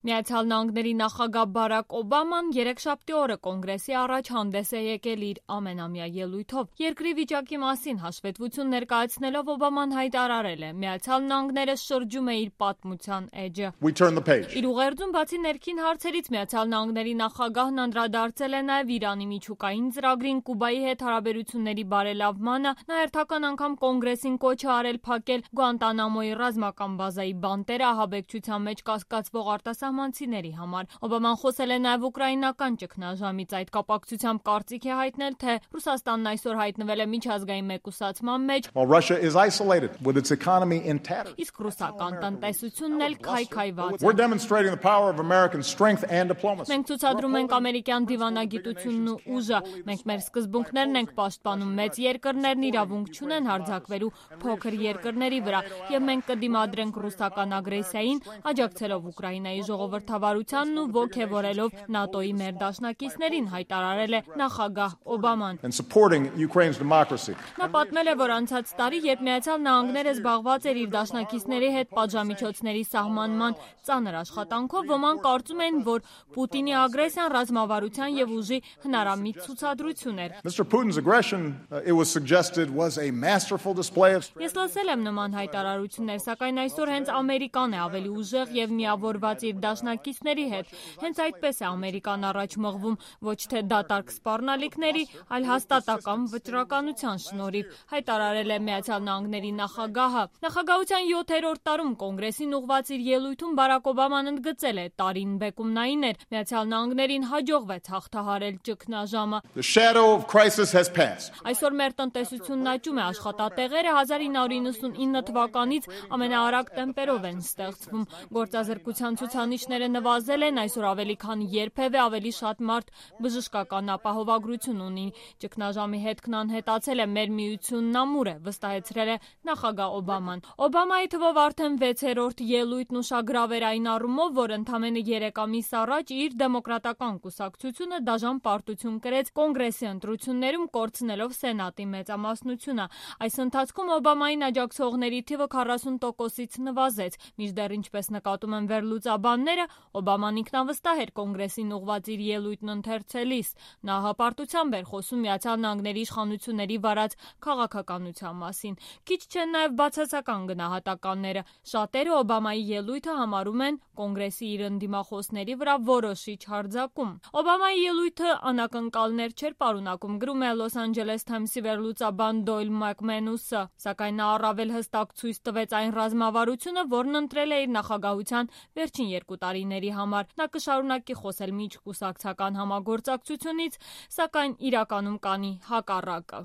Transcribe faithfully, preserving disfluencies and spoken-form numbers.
Միացյալ Նահանգների նախագահ Բարակ Օբաման երեքշաբթի օրը կոնգրեսի առաջ հանդես է եկել իր ամենամյա ելույթով։ Երկրի վիճակի մասին հաշվետվություն ներկայացնելով Օբաման հայտարարել է. Միացյալ Նահանգները շրջում է իր պատմության էջը։ Իր ուղերձում բացի ներքին հարցերից Միացյալ Նահանգների նախագահն անդրադարձել է նաև Իրանի միջուկային ծրագրին, Կուբայի հետ հարաբերությունների բարելավմանը, նա հերթական անգամ կոնգրեսին կոչ է արել փակել Գուանտանամոյի ռազմական բազայի բանտերը ահաբեկչության մեջ կասկածվող արտասահմանցիների համար։ Օբաման խոսել է նաև ուկրաինական ճգնաժամից, այդ կապակցությամբ կարծիք է հայտնել, թե Ռուսաստանն այսօր հայտնվել է միջազգային մեկուսացման մեջ, իսկ ռուսական տնտեսությունն էլ քայքայված է։ Մենք ցուցադրում ենք ամերիկյան դիվանագիտությունն ու ուժը, մենք մեր սկզբունքներն ենք պաշտպանում, մեծ երկրներն իրավունք չունեն հարձակվելու փոքր երկրների վրա, եւ մենք կդիմադրենք ռուսական ագրեսիային, աջակցելով Ուկրաինայի ժողովրդավարությանն ու ոգևորելով ՆԱՏՕ-ի մեր դաշնակիցներին, հայտարարել է նախագահ Օբաման։ Նա պատմել է, որ անցած տարի, երբ Միացյալ Նահանգները զբաղված էր իր դաշնակիցների հետ պատժամիջոցների սահմանման ծանր աշխատանքով, ոմանք կարծում են, որ Պուտինի ագրեսիան ռազմավարության եւ ուժի հնարամիտ ցուցադրություն էր։ Ես լսել եմ նման հայտարարություններ, սակայն այսօր հենց Ամերիկան է ավելի ուժեղ եւ միավորված իր դաշնակիցների հետ։ Հենց այդպես է Ամերիկան առաջ մղվում, ոչ թե դատարկ սպառնալիքների, այլ հաստատակամ վճռականության շնորհիվ, հայտարարել է Միացյալ Նահանգների նախագահը։ Նախագահության յոթերորդ տարում կոնգրեսին ուղղված իր ելույթում Բարակ Օբաման ընդգծել է. տարին բեկումնային էր, Միացյալ Նահանգներին հաջողվեց հաղթահարել ճգնաժամը։ Այսօր մեր տնտեսությունն աճում է, աշխատատեղերը հազար ինը հարյուր իննսունինը թվականից ամենաարագ տեմպերով են ստեղծվում, գործազրկության ցուցանիշները նվազել են, այսօր ավելի քան երբևէ ավելի շատ մարդ բժշկական ապահովագրություն ունի, ճգնաժամի հետքն անհետացել է, մեր միությունն ամուր է, վստահեցրել է նախագահ Օբաման։ Օբամայի թվով արդեն վեցերորդ ելույթն ուշագրավ էր այն առումով, որ ընդամենը երեք ամիս առաջ իր դեմոկրատական կուսակցությունը դաժան պարտություն կրեց կոնգրեսի ընտրություններում, կորցնելով սենատի մեծամասնությունը։ Այս ընթացքում Օբամային աջակցողների թիվը քառասուն տոկոսից նվազեց, մինչդեռ ինչպես նկատում են վերլուծաբանները, Օբաման ինքնավստահ էր կոնգրեսին ուղղված իր ելույթն ընթերցելիս։ Նա հպարտությամբ էր խոսում Միացյալ Նահանգների իշխանությունների վարած քաղաքականության մասին։ Քիչ չեն նաև բացասական գնահատականները։ Շատերը Օբամայի ելույթը համարում են կոնգրեսի իր ընդդիմախոսների վրա որոշիչ հարձակում։ Օբամայի ելույթը անակնկալներ չէր պարունակում, գրում է Los Angeles Times-ի վերլուծաբան Դոյլ Մակմենուսը, սակայն նա առավել հստակ ցույց տվեց այն ռազմավարությունը, որն ընտրել է իր նախագահության վերջին երկու տարիների համար։ Նա կշարունակի խոսել միջկուսակցական համագործակցությունից, սակայն իրականում կանի հակառակը։